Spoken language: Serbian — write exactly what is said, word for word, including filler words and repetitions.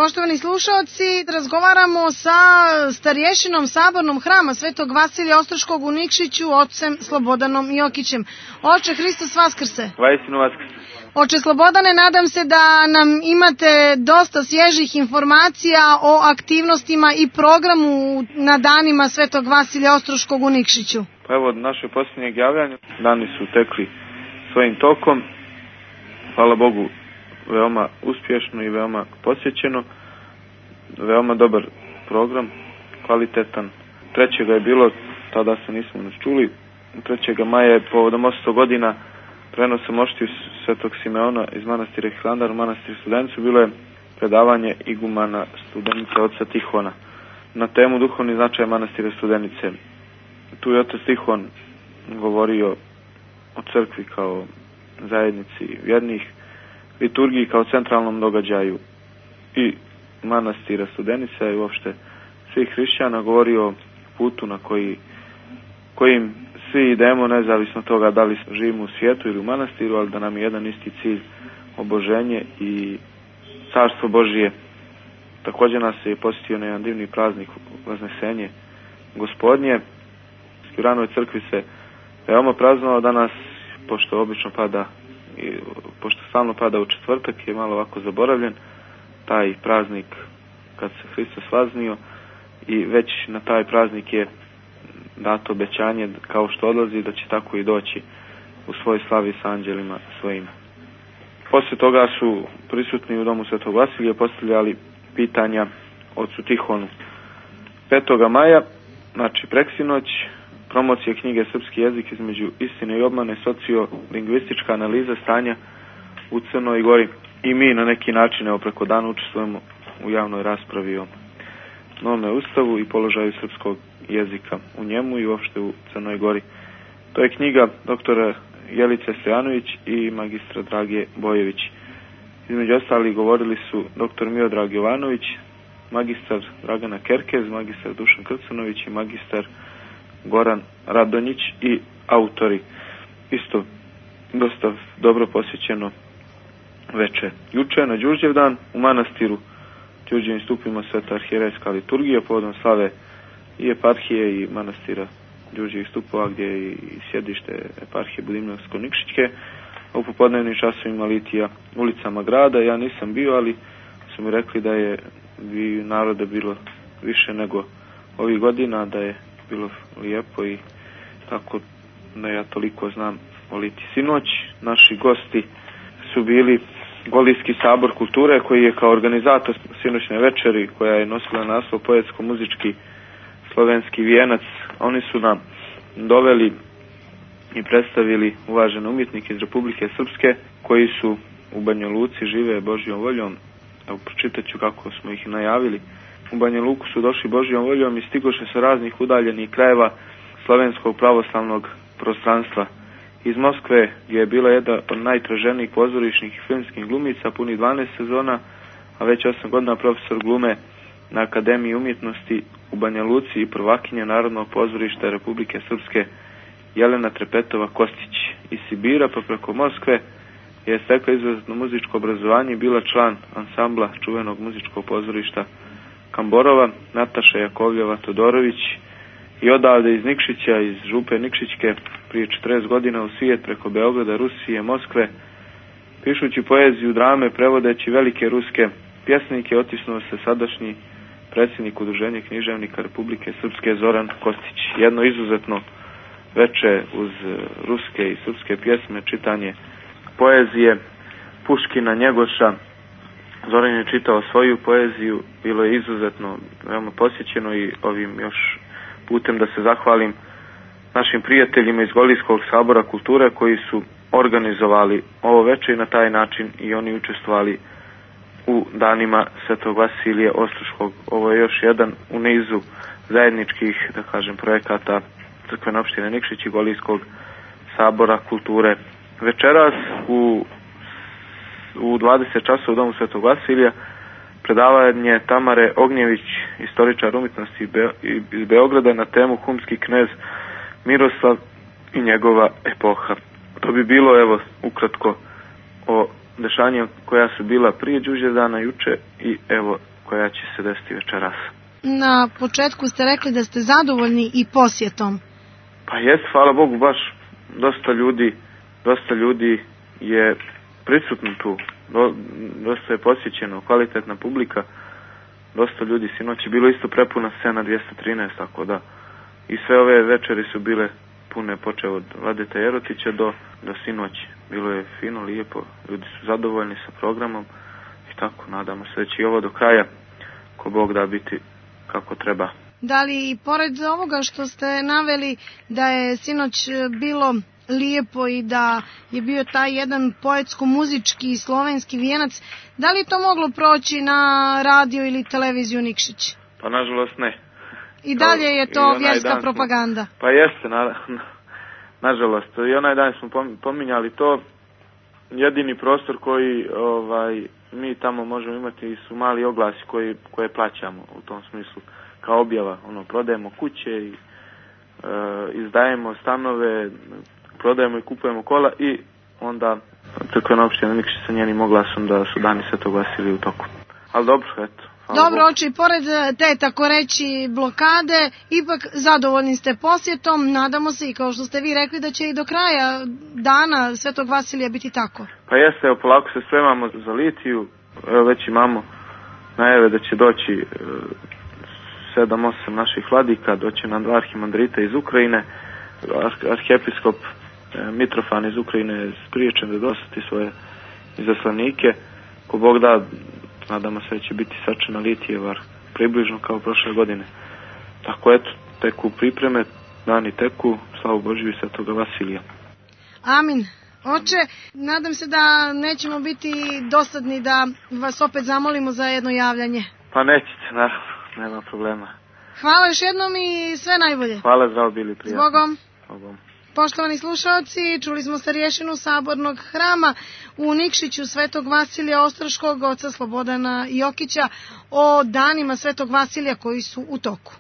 Poštovani slušalci, razgovaramo sa starješinom Sabornog hrama Svetog Vasilija Ostroškog u Nikšiću, ocem Slobodanom Jokićem. Oče, Hristos vaskrse! Vaistinu vaskrse! Oče Slobodane, nadam se da nam imate dosta svježih informacija o aktivnostima i programu na danima Svetog Vasilija Ostroškog u Nikšiću. Pa evo, od našeg posljednjeg javljanja dani su tekli svojim tokom. Hvala Bogu, veoma uspješno i veoma posjećeno. Veoma dobar program, kvalitetan. Trećega je bilo, tada se nismo nas čuli, trećega maja je povodom osamsto godina prenosa moštiju Svetog Simeona iz manastira Hilandar u manastir Studenicu bilo je predavanje igumana Studenice oca Tihona na temu duhovni značaj manastira Studenice. Tu je otac Tihon govorio o crkvi kao zajednici vjernih, liturgiji kao centralnom događaju i manastira Studenica i uopšte svih hrišćana, govorio o putu na koji, kojim svi idemo, nezavisno toga da li živimo u svijetu ili u manastiru, ali da nam je jedan isti cilj oboženje i carstvo Božije. Također nas je posjetio na jedan divni praznik Vaznesenje Gospodnje. U ranoj crkvi se veoma praznovao danas, pošto obično pada i pošto stalno pada u četvrtak, je malo ovako zaboravljen taj praznik kad se Hristos vaznio i već na taj praznik je dato obećanje kao što odlazi da će tako i doći u svoj slavi s anđelima svojima. Poslije toga su prisutni u domu Svetog Vasilija postavljali pitanja ocu Tihonu. Petoga maja, znači preksinoć, promocija knjige Srpski jezik između istine i obmane, sociolingvistička analiza stanja u Crnoj Gori. I mi na neki način evo preko dana učestvujemo u javnoj raspravi o novome ustavu i položaju srpskog jezika u njemu i uopšte u Crnoj Gori. To je knjiga doktora Jelice Stojanović i magistra Drage Bojević. Između ostalih govorili su doktor Miodrag Jovanović, magistar Dragana Kerkez, magistar Dušan Krcanović i magistar Goran Radonjić i autori. Isto dosta dobro posjećeno veče. Juče na Đurđevdan u manastiru Đurđevim stupima Sveta arhijerejska liturgija povodom slave i eparhije i manastira Đurđevih stupova gdje je i sjedište eparhije Budimljivsko-Nikšićke. U popodnevnim časovima litija ulicama grada. Ja nisam bio, ali su mi rekli da je bi naroda bilo više nego ovih godina, da je bilo lijepo i tako da ja toliko znam o Liti. Sinoć naši gosti su bili Golijski sabor kulture koji je kao organizator sinoćne večeri koja je nosila naslov poetsko-muzički slovenski vijenac. Oni su nam doveli i predstavili uvažene umjetnike iz Republike Srpske koji su u Banja Luci, žive Božjom voljom. Evo, pročitat ću kako smo ih najavili. U Banja Luku su došli Božjom voljom i stigoše sa raznih udaljenih krajeva slovenskog pravoslavnog prostranstva. Iz Moskve, gdje je bila jedna od najtraženijih pozorišnih i filmskih glumica, puni dvanaest sezona, a već osam godina profesor glume na Akademiji umjetnosti u Banja Luci i prvakinja Narodnog pozorišta Republike Srpske Jelena Trepetova Kostić. Iz Sibira pa preko Moskve je stekla izvrsno muzičko obrazovanje i bila član ansambla čuvenog muzičkog pozorišta Kamborova Nataša Jakovljeva Todorović i odavde iz Nikšića, iz župe Nikšićke, prije četrdeset godina u svijet preko Beograda, Rusije, Moskve, pišući poeziju, drame, prevodeći velike ruske pjesnike, otisnuo se sadašnji predsjednik Udruženja književnika Republike Srpske Zoran Kostić. Jedno izuzetno veče uz ruske i srpske pjesme, čitanje poezije Puškina, Njegoša. Zoran je čitao svoju poeziju, bilo je izuzetno veoma posjećeno i ovim još putem da se zahvalim našim prijateljima iz Golijskog sabora kulture koji su organizovali ovo veče i na taj način i oni učestvovali u danima Svetog Vasilija Ostroškog. Ovo je još jedan u nizu zajedničkih, da kažem, projekata crkvene opštine Nikšić i Golijskog sabora kulture. Večeras u, u dvadeset časova u domu Svetog Vasilija predavanje Tamare Ognjević, istoričar umjetnosti iz Beograda, na temu Humski knez Miroslav i njegova epoha. To bi bilo, evo, ukratko o dešanja koja su bila prije Đurđevdana juče i evo koja će se desiti večeras. Na početku ste rekli da ste zadovoljni i posjetom. Pa jest, hvala Bogu, baš dosta ljudi, dosta ljudi je prisutno tu, Do, dosta je posjećeno, kvalitetna publika, dosta ljudi, sinoć je bilo isto prepuna scena dvjesto trinaest, tako da i sve ove večeri su bile pune, počeo od Vladeta Jerotića do, do sinoći. Bilo je fino, lijepo, ljudi su zadovoljni sa programom i tako, nadamo se da će i ovo do kraja, ko Bog da, biti kako treba. Da li i pored ovoga što ste naveli da je sinoć bilo lijepo i da je bio taj jedan poetsko-muzički slovenski vijenac, da li je to moglo proći na radio ili televiziju Nikšić? Pa nažalost ne. I dalje je to vjerska propaganda? Smo, pa jeste, na, na, nažalost. I onaj dan smo pominjali to. Jedini prostor koji ovaj, mi tamo možemo imati su mali oglasi koji, koje plaćamo u tom smislu. Kao objava, ono, prodajemo kuće i e, izdajemo stanove, prodajemo i kupujemo kola i onda crkvena opština Nikšić sa njenim oglasom da su dani Svetog Vasilija u toku. Ali dobro, eto. Dobro, oči, pored te, tako reći, blokade, ipak zadovoljni ste posjetom, nadamo se i kao što ste vi rekli da će i do kraja dana Svetog Vasilija biti tako. Pa jeste, evo, polako se spremamo za litiju, evo već imamo najave da će doći sedam osam naših vladika, doće nam dva arhimandrita iz Ukrajine, arhijepiskop Mitrofan iz Ukrajine je spriječen da dostati svoje izaslanike, ko Bog da, nadamo se da će biti sačena Litijevar približno kao prošle godine. Tako eto, teku pripreme, dani teku, slavu Božju i Svetoga Vasilija. Amin. Oče, nadam se da nećemo biti dosadni da vas opet zamolimo za jedno javljanje. Pa nećete, naravno, nema problema. Hvala još jednom i sve najbolje. Hvala, zdravo bili, prijatno. Zbogom. Zbogom. Poštovani slušalci, čuli smo starješinu Sabornog hrama u Nikšiću Svetog Vasilija Ostroškog, oca Slobodana Jokića, o danima Svetog Vasilija koji su u toku.